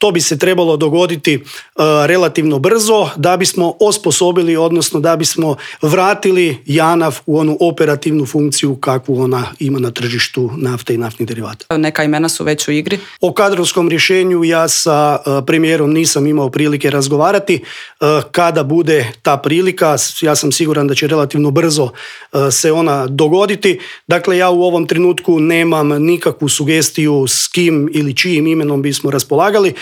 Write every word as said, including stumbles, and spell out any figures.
to bi se trebalo dogoditi uh, relativno brzo da bismo osposobili, odnosno da bismo vratili JANAF u onu operativnu funkciju kakvu ona ima na tržištu nafte i naftnih derivata. Neka imena su već u igri? O kadrovskom rješenju ja sa uh, premijerom nisam imao prilike razgovarati. Uh, kada bude ta prilika, ja sam siguran da će relativno brzo uh, se ona dogoditi. Dakle, ja u ovom trenutku nemam nikakvu sugestiju s kim ili čijim imenom bismo raspolagali,